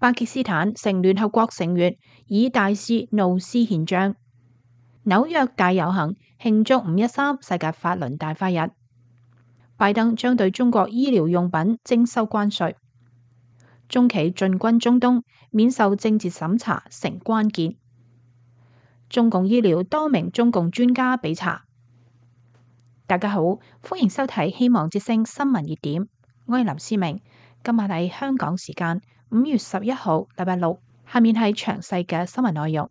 巴基斯坦成聯合國成員，以大肆怒撕憲章。紐約大遊行慶祝5.13世界法輪大法日。拜登將對中國醫療用品徵收關稅。中企進軍中東，免受政治審查成關鍵。中共醫療多名中共專家被查。大家好，歡迎收睇希望之聲新聞熱點，我係林思明。今日係香港時間5月11號，禮拜六。下面係詳細嘅新聞內容。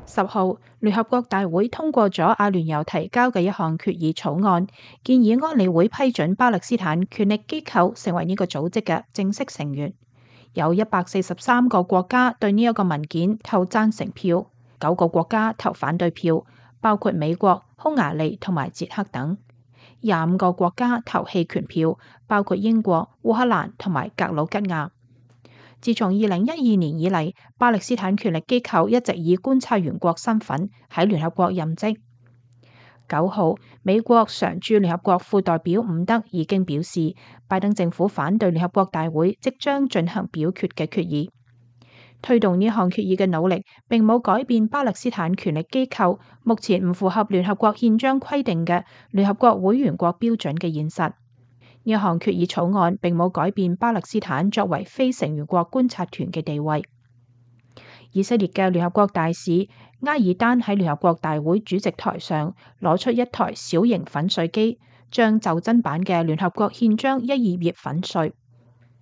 10號，聯合國大會通過咗阿聯酋提交嘅一項決議草案，建議安理會批准巴勒斯坦權力機構成為呢個組織嘅正式成員。有143個國家對呢一個文件投贊成票，9個國家投反對票，包括美國、匈牙利同埋捷克等。25個國家投棄權票，包括英國、烏克蘭同埋格魯吉亞。自從2012年以嚟，巴勒斯坦權力機構一直以觀察員國身份喺聯合國任職。9號，美國常駐聯合國副代表伍德已經表示，拜登政府反對聯合國大會即將進行表決嘅決議。推動呢項決議嘅努力並冇改變巴勒斯坦權力機構目前唔符合聯合國憲章規定嘅聯合國會員國標準嘅現實。呢項決議草案並冇改變巴勒斯坦作為非成員國觀察團嘅地位。以色列嘅聯合國大使埃爾丹喺聯合國大會主席台上攞出一台小型粉碎機，將袖珍版嘅聯合國憲章一頁頁粉碎。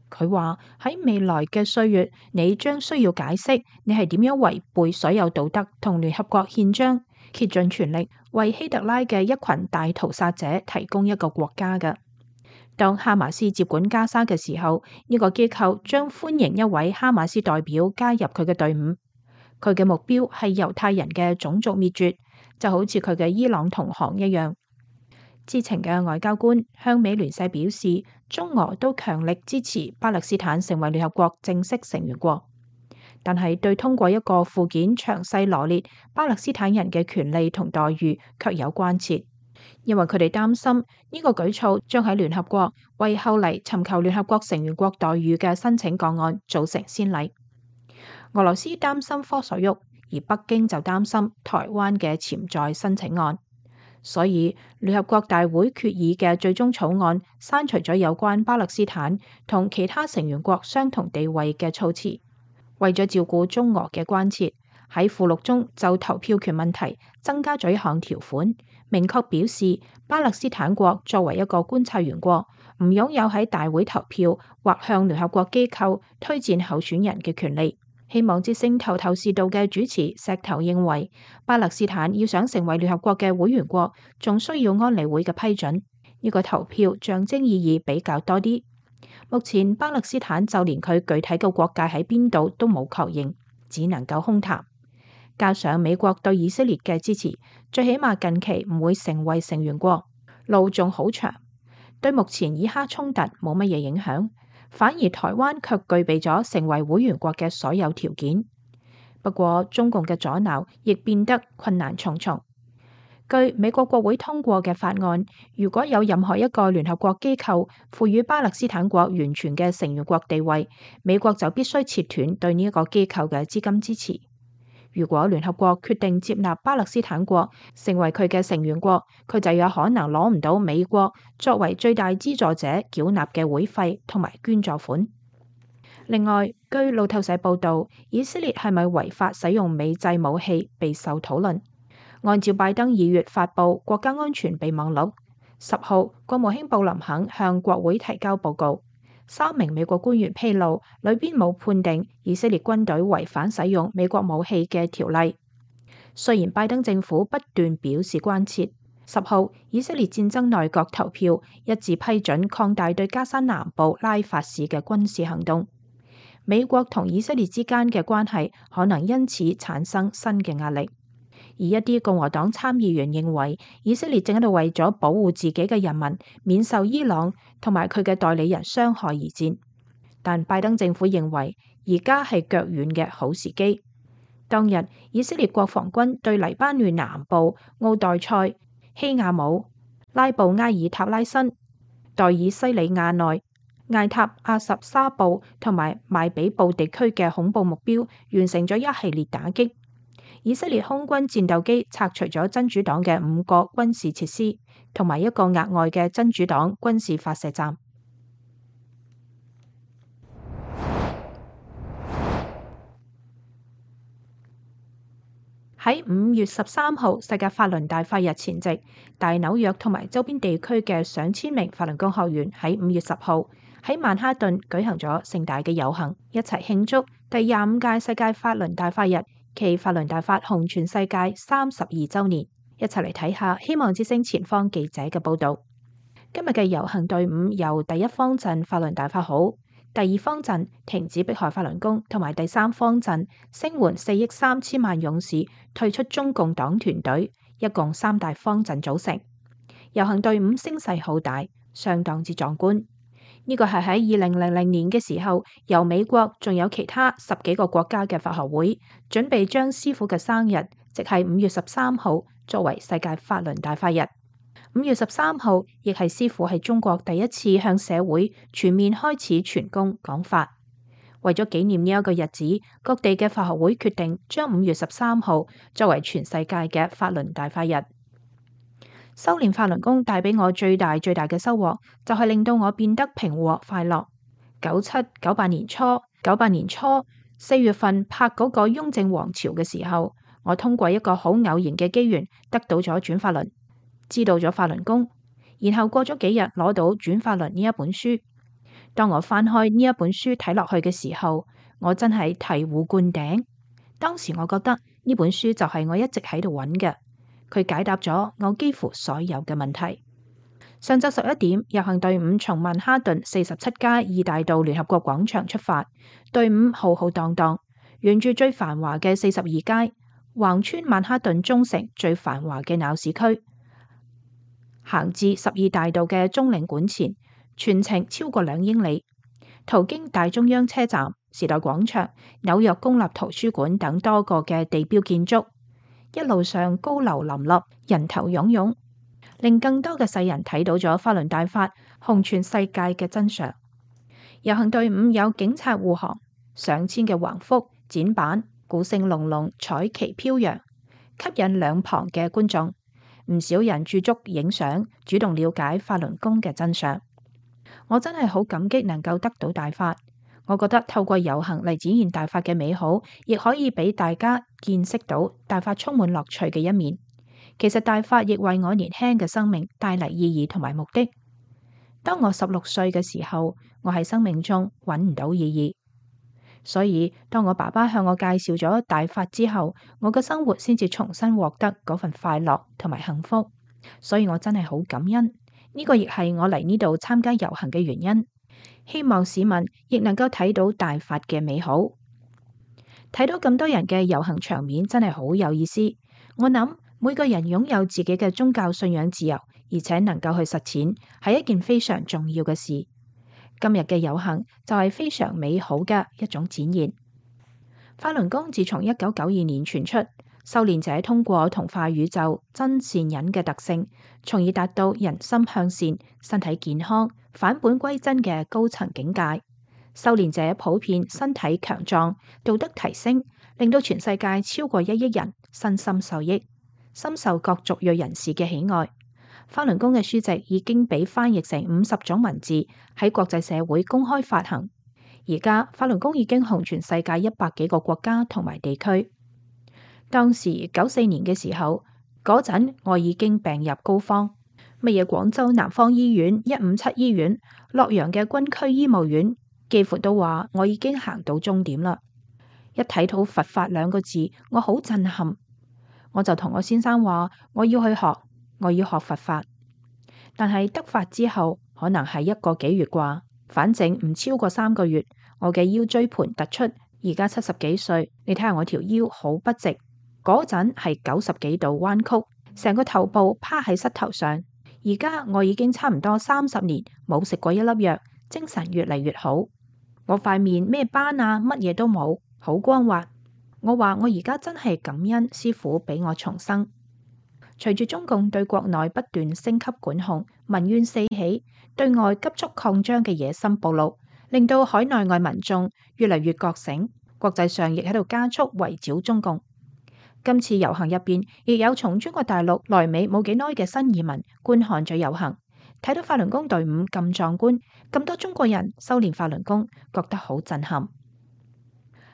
佢話喺未來嘅歲月，你將需要解釋你係點樣違背所有道德同聯合國憲章，竭盡全力為希特拉嘅一群大屠殺者提供一個國家嘅。當哈馬斯接管加沙嘅時候，呢個機構將歡迎一位哈馬斯代表加入佢嘅隊伍。佢嘅目標係猶太人嘅種族滅絕，就好似佢嘅伊朗同行一樣。知情嘅外交官向美聯社表示，中俄都強力支持巴勒斯坦成為聯合國正式成員國，但係對通過一個附件詳細羅列巴勒斯坦人嘅權利同待遇卻有關切，因為佢哋擔心呢個舉措將喺聯合國為後嚟尋求聯合國成員國待遇嘅申請個案造成先例。俄羅斯擔心科索沃，而北京就擔心台灣嘅潛在申請案。所以聯合國大會決議嘅最終草案刪除咗有關巴勒斯坦同其他成員國相同地位嘅措辭，為咗照顧中俄嘅關切，喺附錄中就投票權問題增加咗一項條款，明確表示巴勒斯坦國作為一個觀察員國，唔擁有喺大會投票或向聯合國機構推薦候選人嘅權利。希望之聲頭頭是道嘅主持石頭認為，巴勒斯坦要想成為聯合國嘅會員國，仲需要安理會嘅批准。呢個投票象徵意義比較多啲。目前巴勒斯坦就連佢具體嘅國界喺邊度都冇確認，只能夠空談。加上美國對以色列嘅支持，最起碼近期唔會成為成員國，路仲好長，對目前以哈衝突冇乜嘢影響。反而台灣卻具備咗成為會員國嘅所有條件。不過中共嘅阻撓亦變得困難重重。據美國國會通過嘅法案，如果有任何一個聯合國機構賦予巴勒斯坦國完全嘅成員國地位，美國就必須切斷對呢一個機構嘅資金支持。如果聯合國決定接納巴勒斯坦國成為佢嘅成員國，佢就有可能攞唔到美國作為最大資助者繳納嘅會費同埋捐助款。另外，據路透社報道，以色列係咪違法使用美製武器備受討論。按照拜登2月發布國家安全備忘錄，10號國務卿布林肯向國會提交報告。3名美國官員披露，裏邊冇判定以色列軍隊違反使用美國武器嘅條例。雖然拜登政府不斷表示關切，10號以色列戰爭內閣投票一致批准擴大對加沙南部拉法市嘅軍事行動。美國同以色列之間嘅關係可能因此產生新嘅壓力。而一啲共和黨參議員認為，以色列正喺度為咗保護自己嘅人民免受伊朗同埋佢嘅代理人傷害而戰。但拜登政府認為，而家係腳軟嘅好時機。當日，以色列國防軍對黎巴嫩南部奧代塞、希亞姆、拉布埃爾塔拉申、代爾西里亞內、艾塔阿什沙布同埋邁比布地區嘅恐怖目標完成咗一系列打擊。以色列空軍戰鬥機拆除咗真主黨嘅5個軍事設施，同埋一個額外嘅真主黨軍事發射站。喺5月13號世界法輪大法日前夕，大紐約同埋周邊地區嘅上千名法輪功學員喺5月10號喺曼哈頓舉行咗盛大嘅遊行，一齊慶祝第25屆世界法輪大法日暨法輪大法紅全世界32週年。一齊嚟睇下希望之聲前方記者嘅報導。今日嘅遊行隊伍由第一方陣法輪大法好、第二方陣停止迫害法輪功同埋第三方陣聲援4億3千萬勇士退出中共黨團隊，一共3大方陣組成。遊行隊伍聲勢浩大，相當之壯觀。呢個係喺2000年嘅時候，由美國仲有其他10幾個國家嘅法學會準備將師傅嘅生日，即係5月13號作為世界法輪大法日。5月13號亦係師傅喺中國第一次向社會全面開始傳功講法。為咗紀念呢一個日子，各地嘅法學會決定將5月13號作為全世界嘅法輪大法日。修煉法輪功帶俾我最大嘅收穫，就係令到我變得平和快樂。98年初4月份拍嗰個雍正王朝嘅時候，我通過一個好偶然嘅機緣得到咗轉法輪，知道咗法輪功，然後過咗幾日攞到轉法輪呢一本書。當我翻開呢一本書睇落去嘅時候，我真係醍醐灌頂。當時我覺得呢本書就係我一直喺度揾嘅。佢解答咗我幾乎所有嘅問題。上晝11點，遊行隊伍從曼哈頓47街2大道聯合國廣場出發，隊伍浩浩蕩蕩，沿住最繁華嘅42街，橫穿曼哈頓中城最繁華嘅鬧市區，行至12大道嘅中領館前，全程超過2英里，途經大中央車站、時代廣場、紐約公立圖書館等多個嘅地標建築。一路上高樓林立，人頭湧湧，令更多嘅世人睇到咗法輪大法紅全世界嘅真相。遊行隊伍有警察護航，上千嘅橫幅、展板、鼓聲隆隆，彩旗飄揚，吸引兩旁嘅觀眾。唔少人駐足影相，主動了解法輪功嘅真相。我真係好感激能夠得到大法。我覺得透過遊行嚟展現大法嘅美好，亦可以俾大家見識到大法充滿樂趣嘅一面。其實大法亦為我年輕嘅生命帶嚟意義同埋目的。當我16歲嘅時候，我喺生命中揾唔到意義，所以當我爸爸向我介紹咗大法之後，我嘅生活先至重新獲得嗰份快樂同埋幸福。所以我真係好感恩，呢個亦係我嚟呢度參加遊行嘅原因。希望市民亦能夠睇到大法嘅美好，睇到咁多人嘅遊行場面真係好有意思。我諗每個人擁有自己嘅宗教信仰自由，而且能夠去實踐，係一件非常重要嘅事。今日嘅遊行就係非常美好嘅一種展現。法輪功自從1992年傳出，修煉者通過同化宇宙真善忍嘅特性，從而達到人心向善、身體健康、返本歸真嘅高層境界。修煉者普遍身體強壯，道德提升，令到全世界超過1億人身心受益，深受各族裔人士嘅喜愛。法輪功嘅書籍已經被翻譯成50種文字，喺國際社會公開發行。而家法輪功已經紅全世界100幾個國家同埋地區。當時94年嘅時候，嗰陣我已經病入膏肓，乜嘢廣州南方醫院、157醫院、洛陽嘅軍區醫務院，幾乎都話我已經行到終點啦。一睇到佛法2個字，我好震撼，我就同我先生話我要去學，我要學佛法。但係得法之後，可能係1個幾月啩，反正唔超過3個月，我嘅腰椎盤突出，而家70幾歲，你睇下我條腰好不直。嗰陣係90幾度彎曲，成個頭部趴喺膝頭上。而家我已經差唔多30年冇食過1粒藥，精神越嚟越好。我塊面咩斑啊，乜嘢都冇，好光滑。我話我而家真係感恩師父俾我重生。隨住中共對國內不斷升級管控，民怨四起，對外急速擴張嘅野心暴露，令到海內外民眾越嚟越覺醒，國際上亦喺度加速圍剿中共。今次遊行入邊，亦有從中國大陸來美冇幾耐嘅新移民觀看咗遊行，睇到法輪功隊伍咁壯觀，咁多中國人修煉法輪功，覺得好震撼。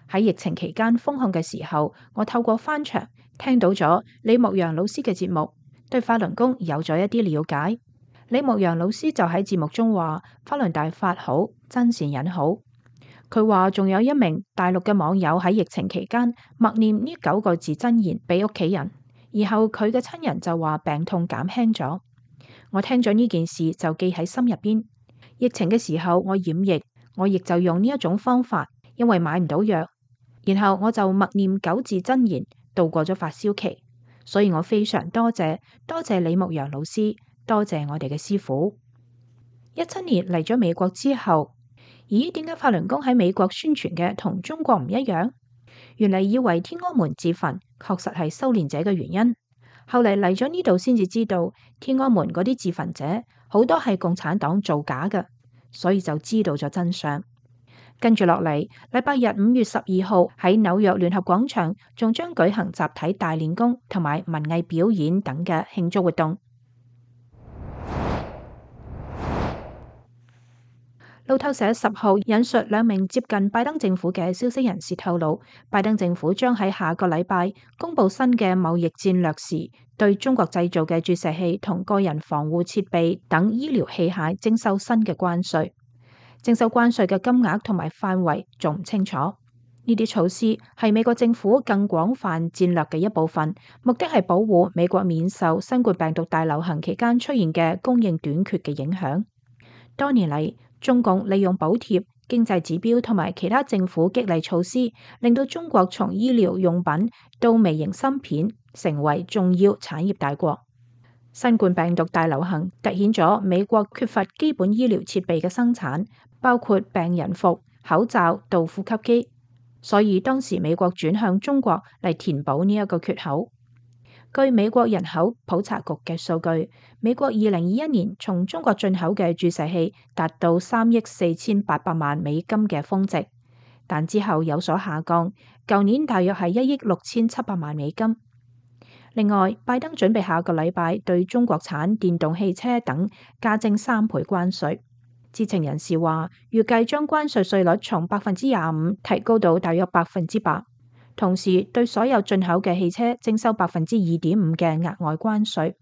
喺疫情期間封控嘅時候，我透過翻牆聽到咗李牧陽老師嘅節目，對法輪功有咗一啲了解。李牧陽老師就喺節目中話：法輪大法好，真善忍好。佢話仲有一名大陸嘅網友喺疫情期間默念呢9個字真言俾屋企人，然後佢嘅親人就話病痛減輕咗。我聽咗呢件事就記喺心入邊。疫情嘅時候我染疫，我亦就用呢一種方法，因為買唔到藥。然後我就默念9字真言，度過咗發燒期。所以我非常多謝李牧陽老師，多謝我哋嘅師父。17年嚟咗美國之後，咦，點解法輪功喺美國宣傳嘅同中國唔一樣？原嚟以為天安門自焚確實係修煉者嘅原因，後嚟嚟咗呢度先至知道，天安門嗰啲自焚者好多係共產黨造假嘅，所以就知道咗真相。跟住落嚟，禮拜日5月12號喺紐約聯合廣場，仲將舉行集體大練功同埋文藝表演等嘅慶祝活動。路透社10號引述2名接近拜登政府嘅消息人士透露，拜登政府將喺下個禮拜公布新嘅貿易戰略時，對中國製造嘅注射器同個人防護設備等醫療器械徵收新嘅關稅。徵收關稅嘅金額同埋範圍仲唔清楚。呢啲措施係美國政府更廣泛戰略嘅一部分，目的係保護美國免受新冠病毒大流行期間出現嘅供應短缺嘅影響。多年嚟，中共利用補貼、經濟指標同埋其他政府激勵措施，令到中國從醫療用品到微型芯片成為重要產業大國。新冠病毒大流行凸顯咗美國缺乏基本醫療設備嘅生產，包括病人服、口罩到呼吸機，所以當時美國轉向中國嚟填補呢一個缺口。據美國人口普查局嘅數據，美國2021年從中國進口嘅注射器達到3億4800萬美金嘅峰值，但之後有所下降，舊年大約係1億6700萬美金。另外，拜登準備下個禮拜對中國產電動汽車等加徵3倍關稅。知情人士話，預計將關稅稅率從25%提高到大約8%，同時對所有進口嘅汽車徵收2.5%嘅額外關稅。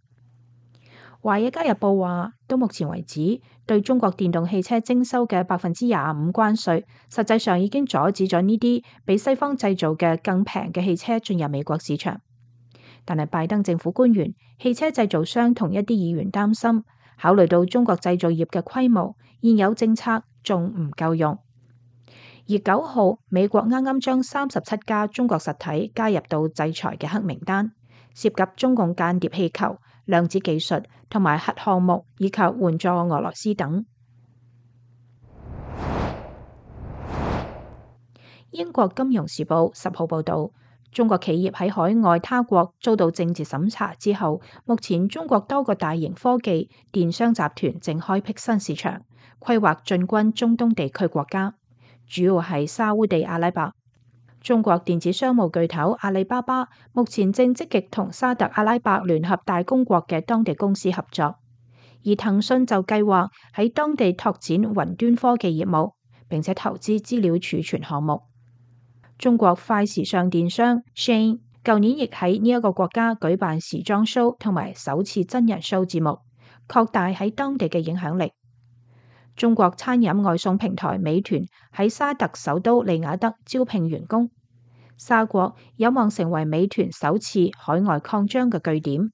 華爾街日報話，到目前為止，對中國電動汽車徵收嘅25%關稅，實際上已經阻止咗呢啲比西方製造嘅更平嘅汽車進入美國市場。但係拜登政府官員、汽車製造商同一啲議員擔心，考慮到中國製造業嘅規模，現有政策仲唔夠用。而9號，美國啱啱將37家中國實體加入到制裁嘅黑名單，涉及中共間諜氣球、量子技術同埋核項目，以及援助俄羅斯等。英國金融時報10號報導，中國企業喺海外他國遭到政治審查之後，目前中國多個大型科技電商集團正開闢新市場，規劃進軍中東地區國家，主要係沙烏地阿拉伯。中國電子商務巨頭阿里巴巴目前正積極同沙特阿拉伯聯合大公國嘅當地公司合作，而騰訊就計劃喺當地拓展雲端科技業務，並且投資資料儲存項目。中國快時尚電商 Shein 舊年亦喺呢一個國家舉辦時裝 show 同埋首次真人 show 節目，擴大喺當地嘅影響力。中國餐飲外送平台美團喺沙特首都利雅得招聘員工，沙國有望成為美團首次海外擴張嘅據點。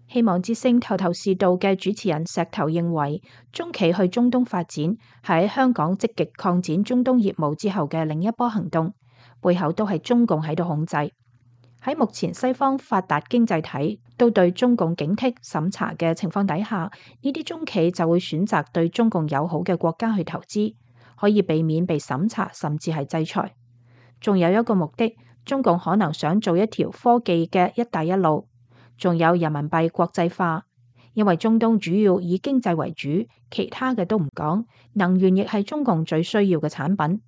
希望之聲頭頭是道嘅主持人石頭認為，中企去中東發展係喺香港積極擴展中東業務之後嘅另一波行動，背後都係中共喺度控制。喺目前西方發達經濟體都對中共警惕審查嘅情況底下，呢啲中企就會選擇對中共友好嘅國家去投資，可以避免被審查甚至係制裁。仲有一個目的，中共可能想做一條科技嘅一帶一路，仲有人民幣國際化，因為中東主要以經濟為主，其他嘅都唔講。能源亦係中共最需要嘅產品。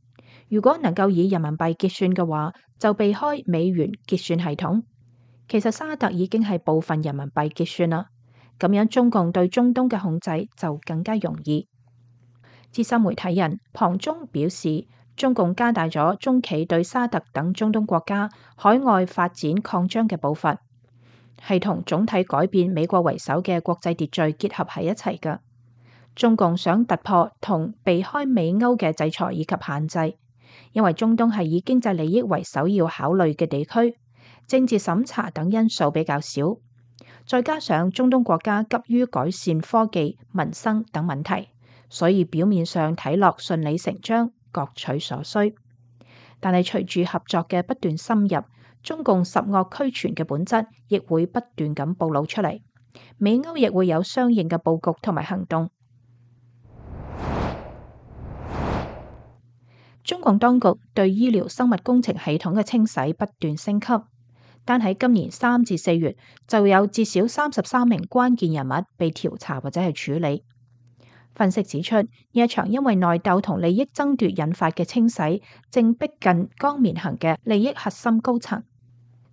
如果能夠以人民幣結算嘅話，就避開美元結算系統。其實沙特已經係部分人民幣結算啦，咁樣中共對中東嘅控制就更加容易。資深媒體人龐中表示，中共加大咗中企對沙特等中東國家海外發展擴張嘅步伐，係同總體改變美國為首嘅國際秩序結合喺一齊嘅。中共想突破同避開美歐嘅制裁以及限制，因為中東係以經濟利益為首要考慮嘅地區，政治審查等因素比較少，再加上中東國家急於改善科技、民生等問題，所以表面上睇落順理成章，各取所需。但係隨住合作嘅不斷深入，中共十惡俱全嘅本質亦會不斷咁暴露出嚟，美歐亦會有相應嘅佈局同埋行動。中共當局對醫療生物工程系統嘅清洗不斷升級，但喺今年3至4月就有至少33名關鍵人物被調查或者係處理。分析指出，呢一場因為內鬥同利益爭奪引發嘅清洗，正逼近江綿恒嘅利益核心高層。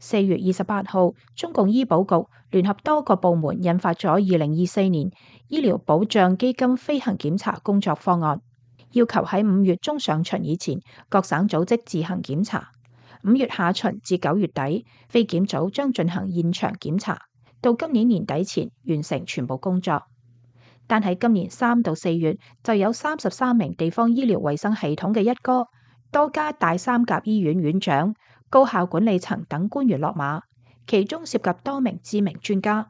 4月28號，中共醫保局聯合多個部門印發咗2024年醫療保障基金飛行檢查工作方案，要求喺5月中上旬以前，各省組織自行檢查；5月下旬至9月底，非檢組將進行現場檢查，到今年年底前完成全部工作。但喺今年3到4月，就有33名地方醫療衛生系統嘅一哥、多家大三甲醫院院長、高校管理層等官員落馬，其中涉及多名知名專家。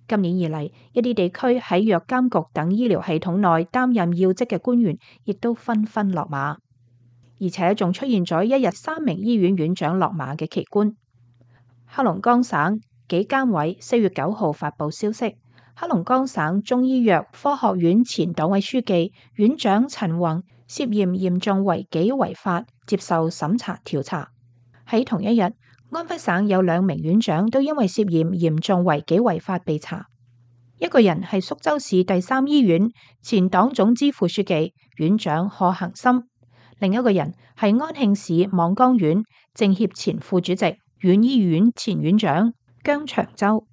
今年以嚟，一啲地區喺藥監局等醫療系統內擔任要職嘅官員，亦都紛紛落馬，而且仲出現咗一日3名醫院院長落馬嘅奇觀。黑龍江省紀監委4月9號發布消息，黑龍江省中醫藥科學院前黨委書記、院長陳宏涉嫌嚴重違紀違法，接受審查調查。喺同一日，安徽省有2名院長都因為涉嫌嚴重違紀違法被查，一個人係蘇州市第3醫院前黨總支副書記、院長賀恒森，另一個人係安慶市望江縣政協前副主席、縣醫院前院長姜長洲。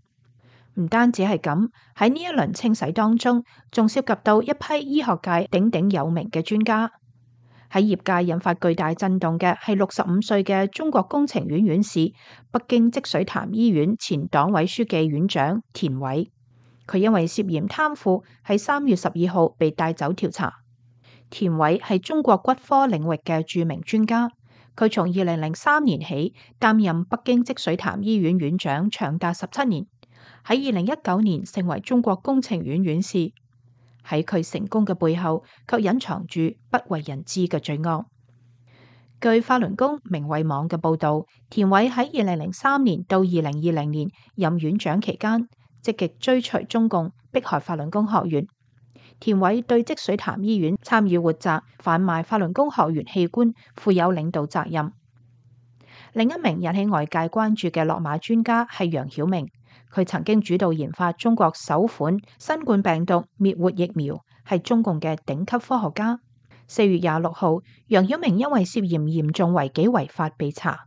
唔單止係咁，喺呢一輪清洗當中，仲涉及到一批醫學界鼎鼎有名嘅專家。喺業界引發巨大震動嘅係65歲嘅中國工程院院士、北京積水潭醫院前黨委書記院長田偉。佢因為涉嫌貪腐，喺3月12號被帶走調查。田偉係中國骨科領域嘅著名專家，佢從2003年起擔任北京積水潭醫院院長，長達17年。喺2019年成為中國工程院院士。喺佢成功嘅背後，卻隱藏住不為人知嘅罪惡。據法輪功明慧網嘅報導，田偉喺2003年到2020年任院長期間，積極追隨中共迫害法輪功學員。田偉對積水潭醫院參與活摘、販賣法輪功學員器官負有領導責任。另一名引起外界關注嘅落馬專家係楊曉明。佢曾經主導研發中國首款新冠病毒滅活疫苗，係中共嘅頂級科學家。4月26號，楊曉明因為涉嫌嚴重違紀違法被查。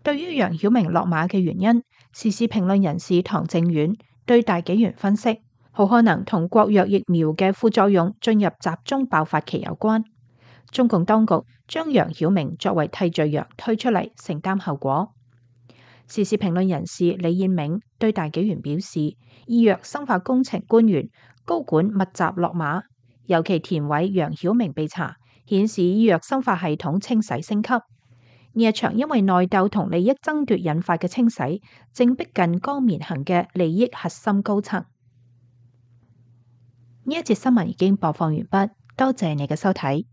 對於楊曉明落馬嘅原因，時事評論人士唐正遠對大紀元分析，好可能同國藥疫苗嘅副作用進入集中爆發期有關。中共當局將楊曉明作為替罪羊推出嚟，承擔後果。時事評論人士李燕銘對大紀元表示，醫藥生化工程官員高管密集落馬，尤其田偉、楊曉明被查，顯示醫藥生化系統清洗升級。呢一場因為內鬥同利益爭奪引發嘅清洗，正逼近江綿恒嘅利益核心高層。呢一節新聞已經播放完畢，多謝你嘅收睇。